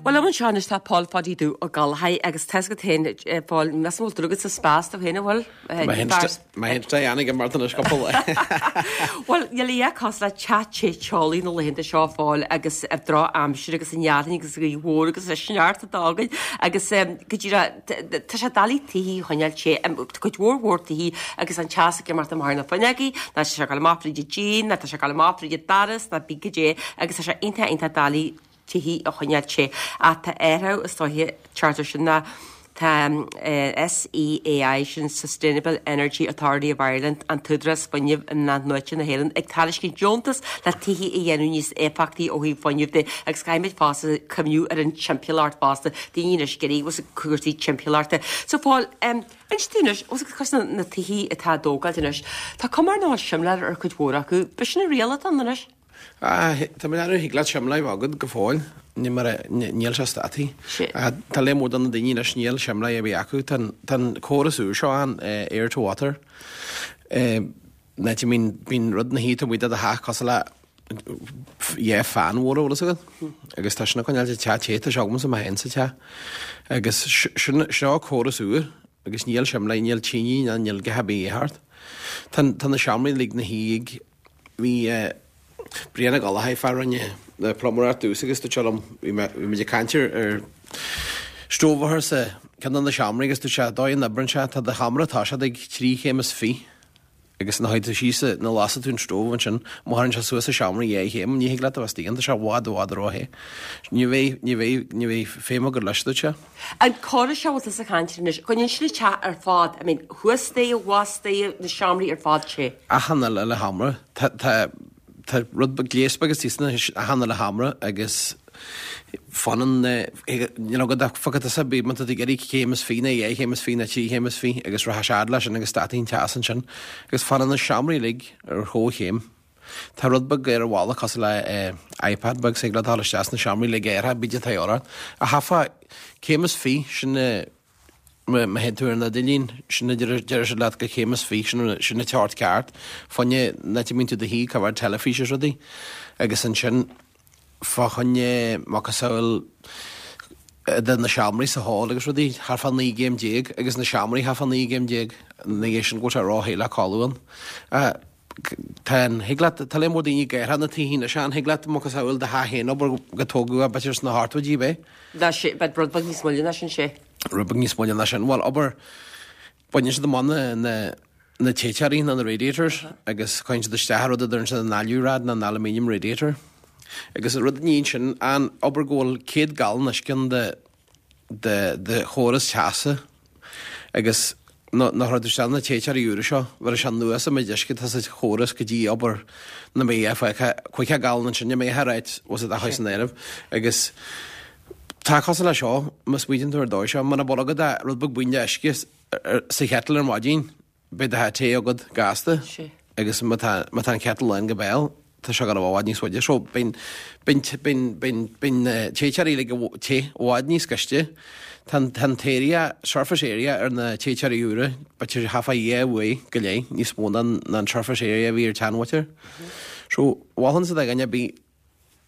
Bhuel, liom anseo anois tá Pól Pháidí Dubh Ó Gallchóir agus tá's agat féin, a Phóil, measaim go bhfuil tú agat sa spás tú féin, an bhfuil? Má théann sé ann ag imeacht anois cúpla lá. Bhuel, níl a dhath cosúil le teach te teolaí na laethanta seo, a Phóil, agus an drochaimsir agus an fhearthainn agus an ghaoth mhór agus an sneachta atá againn agus go díreach tá sé doiligh tithe a choinneáil te, cuid mhór mhór tithe agus an teas ag imeacht amach ar na fuinneogaí, ná tá sé ag dul amach fríd an díon, ná tá sé ag dul amach fríd an doras, ná bí goidé agus tá sé iontach iontach doiligh tithe a choinneáil te. Ach tá athrú is dóiche ag teacht air sin ná tá SEAI, sin Sustainable Energy Authority of Ireland, an t-údarás fuinnimh in-athnuaite na hÉireann, ag tairiscint deontas le tithe a dhéanamh níos éifeachtaí ó thaobh fuinnimh de agus caithfimid fosta cuimhniú ar an timpeallacht fosta, daoine anois ag iarraidh cúrsaí timpeallachta. So Phóil, inis dúinn anois, os na, na tithe atá á dtógáilt anois, tá cuma ar nós simléar ar chuid mhór acu, b'shin an riail atá ann anois? Tá mé ag thig leat simléar a bheith agat go fóill, níl sé stadtha. Tá lear mór de na daoine anois níl simléar ar bith acu. Tá an córas úr seo ann, air to water, áit a mbíonn bíonn rud ina shuí taobh amuigh de do theach cosúil le yeah fan mhór an bhfuil fhios agat agus tá sin ag coinneáil an teach te, tá sé agamsa mé féin sa teach. Agus sin seo córas úr agus níl simléar, níl tine ná níl a dhath ar bith thart. Tá na seomraí uilig ina shuí ag Bhí Brian Ó Gallchóir, fear a rinne na pluiméireacht domhsa agus dúirt sé liom, bhí mé, bhí muid ag caint ar, ar stove a chur sa ceann de na seomraí agus dúirt sé, dóigh a n-oibreann sé, tá do sheomra tá sé ag 3 chéim is fi agus nuair a théann tú síos, nuair a lasann tú an stove ansin, má chuireann sé suas sa seomra dhá chéim, ní thig leat a bheith istigh ann, tá sé i bhfad, i bhfad ró-the. Ní bheidh, ní bheidh, ní bheidh feidhm agat leis, dúirt sé. An córas seo a bhfuil tusa ag caint air anois, coinníonn sé an teach ar fad, I mean, thuas staighre, abhus staighre, na seomraí ar fad te. Achan uile sheomra. Tá, tá, tá rud beag, gléas beag istigh sna, achan uile sheomra agus fanann na, you know, go bhfaca tusa, bí, má tá tú ag iarraidh céim is fi nó dhá chéim is fi nó trí chéim is fi agus rachaidh sé fhad leis sin agus stadfaidh an teas ansin agus fanann na seomraí uilig ar chomhchéim. Tá rud beag ar an bhalla cosúil le iPad beag thig leat dul isteach sna seomraí le géartha bíde tá orthu. Ach chaithfeá céim is fi sin má théann tú ar an idirlíon sin a deir siad leat go céim is fi sin sin an teocht ceart fá choinne an áit a mbíonn tú i do shuí coimhéad teilifís is rudaí agus ansin fá choinne macasamhail de na seomraí sa hall agus rudaí thart fá 19 gcéim agus na seomraí thart fá 19 gcéim ina dhiaidh sin go bhfuil sé róthe le codladh ann. Tá an, thig leat, tá lear mór daoine ag athrú na tithe anois, an thig leat macasamhail do theach féin abair go tógadh é b'fhéidir sna hochtóidí ab é? Ná sé, beidh rud beag níos moille ná sin, sé. Rud beag níos moille ná sin. Bhuel, abair, baineann siad amach na, na, na téiteoirí nó na radiators agus cuireann siad isteach rud a deireann siad an alu-rad nó an aluminium radiator. Agus an rud a níonn sin, an, abair go bhfuil 100 gallán uisce ann de, de, de chóras teasa agus nuair a chuir tú isteach na téiteoirí úra seo, bheir sé anuas an méid uisce atá sa chóras go dtí abair na mbeidh fágtha 50 gallán ansin, ní mbeidh ar áit was it a chur san áireamh agus tá cosúil le seo, má smaoitíonn tú ar dóigh seo, muna bhfuil agat ach rud beag buí de uisce sa chettle ar maidin, Beidh do theach te agat gasta agus má tá má tá an kettle lán go béal tá sé ag dul i bhfad níos faide. So bíonn bíonn bíonn bíonn bíonn na téiteoirí uilig te i bhfad níos gaiste. Tá an tá an t-area surface area ar na téiteoirí úra b'fhéidir thart fá dhá uair go leith níos mó ná an surface area a bhí ar an tseanmhuintir. So mholfainnse do dhuine ar bith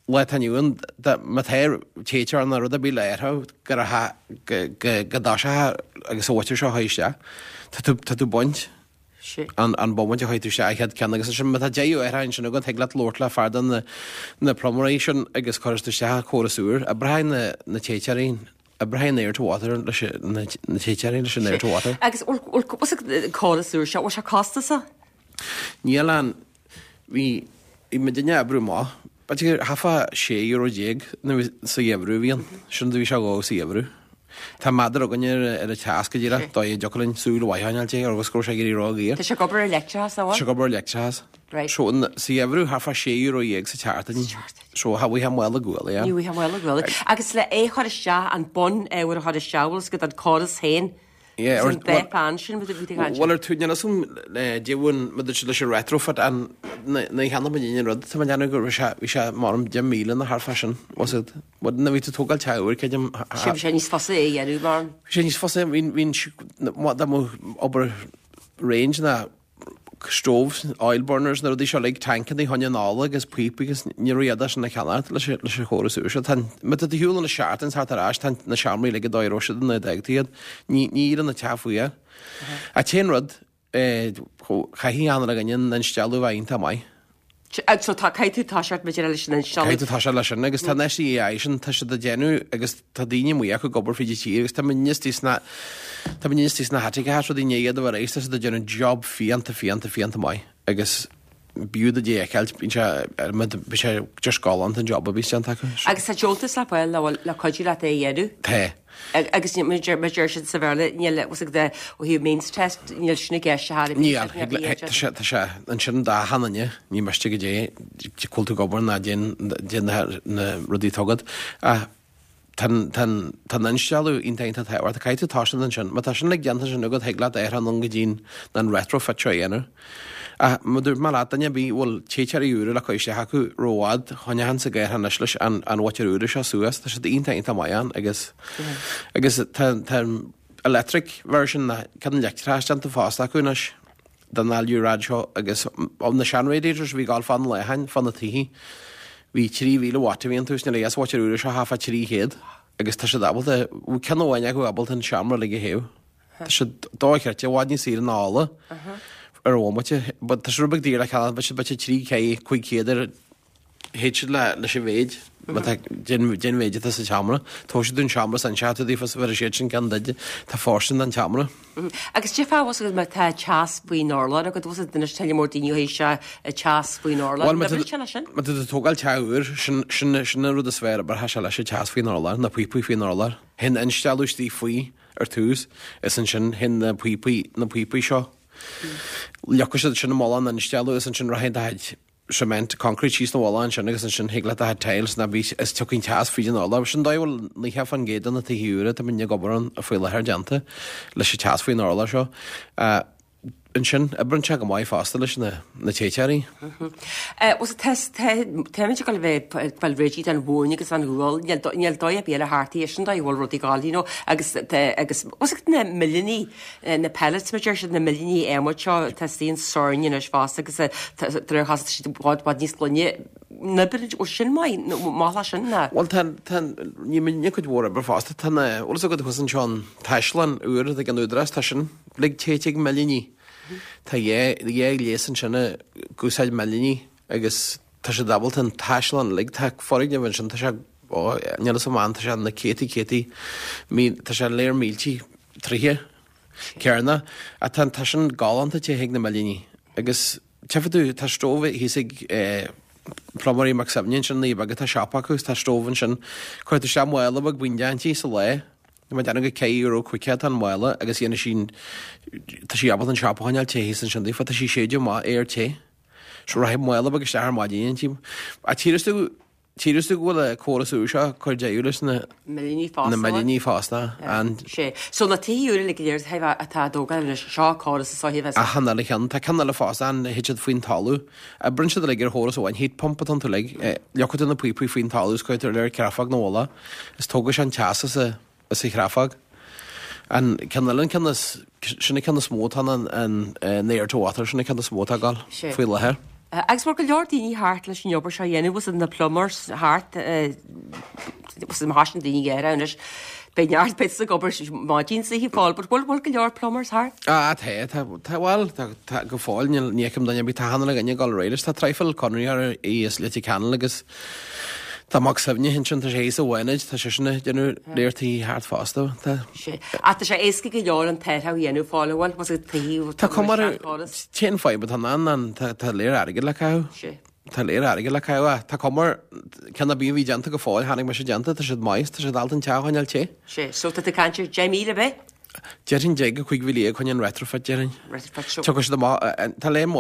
lá atá inniu ann, má tá téiteoir nó rud ar bith le athrú go go dtoiseochthá agus an mhuintir seo a chur isteach, tá tú tá tú baint an an bomaite a chuir tú isteach an chéad ceann agus ansin má tá deireadh air ansin agat thig leat labhairt le fear de na na pluiméirí sin agus cuirfidh tú isteach córas úr, oibreoidh na na téiteoirí oibreoidh an air to water leis na na téiteoirí leis an air to water. Agus bhfuil córas úr seo, bhfuil sé costasach? Níl an Bhí bhí muidinne ag oibriú amach. B'fhéidir gur thart fá 16 euro nuair sa gheimhreadh a bhí ann. Sin do bhí sé dhó sa gheimhreadh. Tá méadar againn ar ar an teas go díreach, dóigh a dtiocfadh linn súil mhaith a choinneáil de agus go raibh sé ag éirí ró-dhaor. Tá sé ag obair ar leictreachas, an bhfuil? Tá sé ag obair ar leictreachas. Right. So an sa gheimhreadh thart fá 16 euro sa tseachtain. Sa tseachtain. So cha bhfaighfeá mála guala, yeah. Ní bhfaighfeá mála guala. Agus le é a chur isteach, an bun ábhar a chur isteach, bhfuil 'fhios agat an córas féin? Yeah, An dá fan sin bhí tú ag caint. Bhuel ar tú níl 'fhios agam deamhan maidir leis an retrofit an ní cheannaigh muid aon rud tá mé ag déanamh go raibh sé bhí sé maram 10,000 nó thart fá sin was it bhuel nuair a bhí tú ag tógáil teach úr creidim Sin bhí sé níos fusa é a dhéanamh mar. Bhí sé níos fusa bhí bhí dá mbeadh obair range ná. Stoves, oil burners, na rudaí seo uilig, tancannaí choinne an ola agus píopaí agus ní raibh iad sin le ceannacht leis an chóras úr seo. Tá, má tá tú ar shiúl anois seachtain is thart ar ais, tá na seomraí uilig an dóigh a raibh siad nuair a d'fhág tú iad. Ní, ní éiríonn an teach fuar. An t-aon rud, eh, chaithfidh achan uile dhuine an instealladh a bheith iontach maith. So tá, caithfidh tú toiseacht maidir leis an instealladh. Caithfidh tú toiseacht leis sin agus tá an SEAI sin, tá siad ag déanamh agus tá daoine amuigh acu ag obair fríd an tír agus tá muidne istigh sna, tá muidne istigh sna haiteacha rudaí i ndiaidh iad a bheith réidh, tá siad ag déanamh job fiánta, fiánta, fiánta maith agus b'fhiú duit é a fheiceáilt, bíonn sé, bíonn sé just galánta an job a bhíos déanta acu. Agus tá deontas le fáil le, le cuidiú leat é a dhéanamh? Tá. Agus mar a deir siad sa Bhéarla, níl, was it the, ó thaobh means test, níl sin i gceist a thar a bith. Níl, tá sé, tá sé, ansin d'achan duine, ní miste go dté, cá bhfuil tú ag obair ná déan, déan na, na rudaí atá agat. Ach tá an, tá an, tá an instealladh iontach iontach tábhachtach, caithfidh tú toiseacht ansin. Má tá sin uilig déanta ansin agat, thig leat athrú anonn go dtí an, an retrofit seo a dhéanamh. Ach mar a dúirt mé leat, duine ar bith a bhfuil téiteoirí úra le cur isteach acu rófhad, choinneochainnse ag athrú anois leis an an mhótar úr seo suas, tá siad iontach iontach maith ann agus agus tá tá an electric version na ceann leictreachais déanta fosta acu anois don alu-rad seo agus na sean radiators a bhí ag gabháil fá na leatháin, fá na tithe, bhí 3,000 watt a bhí iontu is níl a fhios mhótar úr seo thart fá 300 agus tá siad ábalta, ceann amháin acu ábalta an seomra uilig a théamh. Tá sé dochreidte, i bhfad níos saoire ná ola ar bhomaite. But tá sé rud beag daor le ceannach, beidh sé 3 500 ar théid siad le leis an mhéid, má tá den den mhéid atá sa tseomra. Tógfaidh siad an seomra san seacht daofa is bheir siad sin ceann duit, tá fóirstean don tseomra. Agus cad é fá bhfuil fhios agat má tá teas faoin urlár agat, bhfuil fhios agat anois tuilleadh mór daoine ó thaobh sé teas faoin urlár. Bhuel, má tá tú leis sin? má tá tú ag tógáil teach úr, sin sin sin an rud is fearr obair sé leis an teas faoin urlár, na píopaí faoin urlár. Théann instealladh istigh faoi. Ar tús, is ansin théann na píopaí, na píopaí seo. Leagfaidh siad sin i mullach an instealladh is ansin rachaidh do chuid cement, concrete síos na mhullach ansin agus ansin thig leat do chuid tiles ná bí is tiocfaidh an teas fríd an urlár. Sin dóigh a bhfuil 90% de na tithe úra atá muidne ag obair ann faoi láthair déanta leis an teas faoin urlár seo. Ansin, oibreann sé go maith fosta leis na téiteoirí. Bhuel, táimid ag dul a bheith ag fáil réidh don mhóin agus an ghual, níl dóigh ar bith eile thart í, sin dóigh a bhfuil rudaí ag dul, you know, agus agus bhfuil fhios agat na millíní, na pellets mar deir siad, na millíní adhmaid seo, tá istigh in sorn anois fosta agus de réir chás tá siad i bhfad bhfad níos glaine. N-oibreann, bhfuil sin maith, nó maith leis sin ná? Bhuel tá, tá, ní muidne cuid mhór oibre fosta, tá na, bhfuil fhios agat thuas anseo an Taisclann úr ag an Údarás, tá sin uilig téite ag millíní. Tá dhá, dhá ghléas ansin ag úsáid millíní agus tá siad ábalta an Taisclann uilig, tá foirgneamh ansin, tá sé, ó, níl fhios agam, tá sé na céadtaí, céadtaí, mí, tá sé léir míltí troithe cearna, ach tá, tá sin galánta te ag na millíní agus Tchífidh tú, tá stove thíos ag Pluiméirí Mac Suibhne ansin, na Beaga, tá siopa acu agus tá stove ansin. Cuirfidh tú isteach mála beag baindeach inti sa lá. Tá mé ag déanamh gur ceithre euro caoga atá an mála agus dhéanfaidh sí an, tá sí ábalta an siopa a choinneáil te thíos ansin daofa, tá sí séideadh amach aer te. So rachaidh mála beag isteach ar maidin inti. Ach tchífidh tú, Tchífidh tú go bhfuil an córas úr seo ag cur deireadh leis na Millíní fosta. na millíní fosta. And. Sé. So na tithe úra uilig go léir atá á dtógáil anois, seo córas is dóiche a bheas. Achan uile cheann. Tá ceann eile fosta ann, thit siad faoin talamh. Oibríonn siad uilig ar chóras amháin, heat pump atá iontu uilig. Leagfaidh tú na píopaí faoin talamh is cuirfidh tú ar creafóg na bhfolach is tógfaidh sé an teas as a as an chreafóg. An ceann eile, an ceann is, sin an ceann is mó atá ann, an, an air to water, sin an ceann is mó atá ag dul faoi láthair. Agus bhfuil go leor daoine thart leis an obair seo a dhéanamh, bhfuil na plumbers thart, bhfuil na háiseanna daoine géara anois, beidh neart bits ag obair maidin sa oíche fáil, but bhfuil, bhfuil go leor plumbers thart? Ah, tá, tá, tá, bhuel, tá, tá, go fóill, níl, ní fheicim duine ar bith, tá achan uile dhuine ag dul ar aghaidh leis, tá traidhfil conraitheoirí as Leitir Ceanainn agus Tá Mac Suibhne ansin, tá sé thíos i bhFánaid, tá seisean ag déanamh léir tithe thart fosta. Tá. Sé. Ach tá sé éasca go leor an t-athrú a dhéanamh fáil a bhfuil, más ag taobh Tá cuma ar an t-aon fadhb atá ann ná tá tá léir airgead le caitheamh. Sé. Tá léir airgead le caitheamh ach tá cuma ar ceann ar bith a bhí déanta go fóill, chonaic mise déanta, tá siad maith, tá siad ábalta an teach a choinneáil te. Sé. So tá tú ag caint ar 10,000 ar bith? Déarfainn 10 go 15,000 chun an retrofit, déarfainn. Retrofit seo. Tiocfaidh siad amach, tá léim,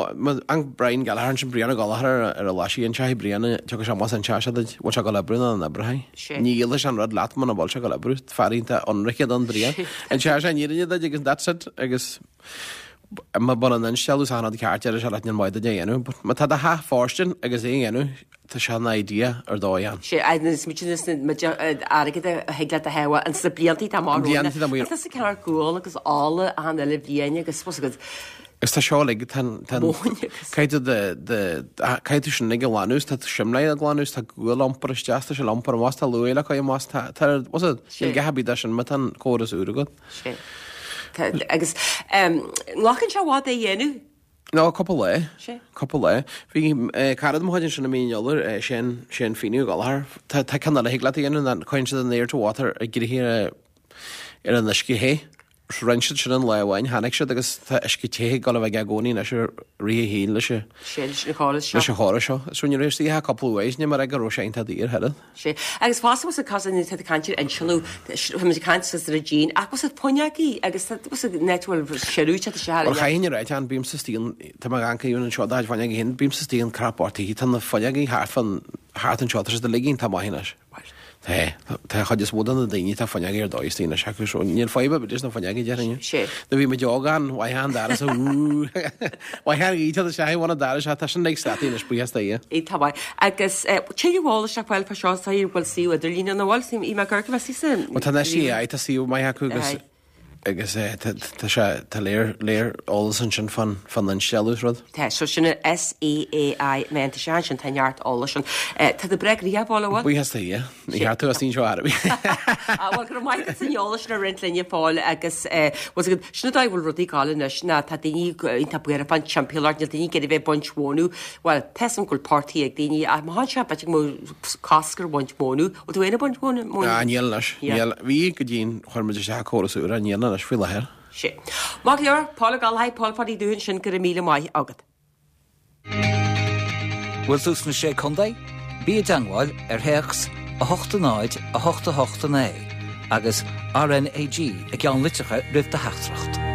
an Brian Gallagher ansin, Brian Ó Gallchóir ar a lá sí anseo, Brian, tiocfaidh sé amach anseo, sé duit, bhfuil sé ag dul oibriú nó an oibreoidh. Sé. Ní dhíolfaidh sé an rud leat muna bhfuil sé ag dul oibriú, fear iontach ionraice don Brian. Anseo sé an fhírinne duit agus that's it, agus má bhfuil an instealladh is achan rud ceart déarfaidh sé leat níl maith duit é a dhéanamh, but má tá do theach fóirstean agus é a dhéanamh, Tá sé ina idea ar dóigh ann. Sé, agus muid ins na, muid airgead a thig leat a shábháil ins na blianta atá amach romhainn. Blianta atá amach. Tá sa ceann gual agus ola achan uile bhliain agus fhios agat. Agus tá seo uilig, tá an, tá an, Móin agus. caithfidh tú do, do, caithfidh tú sin uilig a ghlanadh, tá simléar a ghlanadh, tá gual a iompar isteach, tá sé le iompar amach, tá luaidhe le cur amach, tá, tá, what's it, Sé. níl a dhath ar bith de sin má tá an córas úr agat. Sé. Tá, agus, em, nglacann sé i bhfad é a dhéanamh? No, cúpla lá. Sé. Cúpla lá. Bhí eh, cara de mo chuid ansin i mí an Iolair, eh, Shane, Shane Feeney Ó Gallchóir. Tá, tá ceann eile a thig leat a dhéanamh ná cuireann siad an air to water ag rith ar, ar an uisce the. Rinne siad sin an lá amháin, tháinig siad agus tá uisce te ag dul a bheith aige i gcónaí anois i rith a shaoil leis an Sé leis an chóras seo. leis an chóras seo. So ní raibh istigh ach cúpla uair, ní mar é go raibh sé iontach daor oiread. Sé. Agus fosta bhfuil cos tá tú ag caint ar insealú, tá muid ag caint suas ar an díon, ach bhfuil fuinneogaí agus tá bhfuil an áit a bhfuil siorú te isteach Bhuel chaithfinn a ráit ann, bímse istigh an, tá mé ag amharc anseo do chuid fuinneogaí féin, bímse istigh an crap orthu, tá na fuinneogaí thart fán, thart anseo, tá siad uilig iontach maith anois. Tá, tá an chuid is mó de na daoine tá fuinneogaí ar dóigh istigh anois acu so níl fadhb ar bith leis na fuinneogaí déarfainn. Sé. Nuair a bhí muid óg ann, mhaith an doras a wú, mhaith an ghaoth isteach i bhun an dorais ach tá sin uilig stadtaí anois buíochas do Dhia. É tá maith. Agus tuilleadh eolais le fáil fá seo is dóigh bhfuil suíomh idirlín ann an bhfuil? Í mé gur go mbeidh sí sa. Bhuel tá an SEAI tá suíomh maith acu agus Agus tá sé, tá léar, léar eolas ansin fán, fán instealladh is rud. Tá, so sin an SEAI, má tá sé ansin, tá neart eolais ann. Tá tú breá gnoitheach, a Phóil, an bhfuil? Buíochas do Dhia. Ní cheart tú as seo ar bith. Ah, bhuel, go raibh maith agat as an eolas sin a roinnt linn, a Phóil, agus bhfuil a fhios agat, sin an dóigh a bhfuil rudaí ag gabháil anois ná tá daoine iontach buartha fán timpeallacht, níl daoine ag iarraidh bheith ag baint mhónadh, bhuel, tá 'fhios a'm go bhfuil portaigh ag daoine, ach má tháinig sé b'fhéidir go mbeadh cosc ar bhaint mhónadh. Bhfuil tú féin ag baint mhónadh? Ah, níl anois. Níl. Bhí go dtí chuir muid isteach córas úr, níl anois faoi láthair. Sé. Maith go leor, Paul Ó Gallchóir, Paul Pháidí Dúthain sin, go raibh míle maith agat. Bhfuil tú sna Sé Contae? Bí i dteangmháil ar théacs 8 0 8 8 9 agus RnaG i gceann litreacha roimh do theachtaireacht.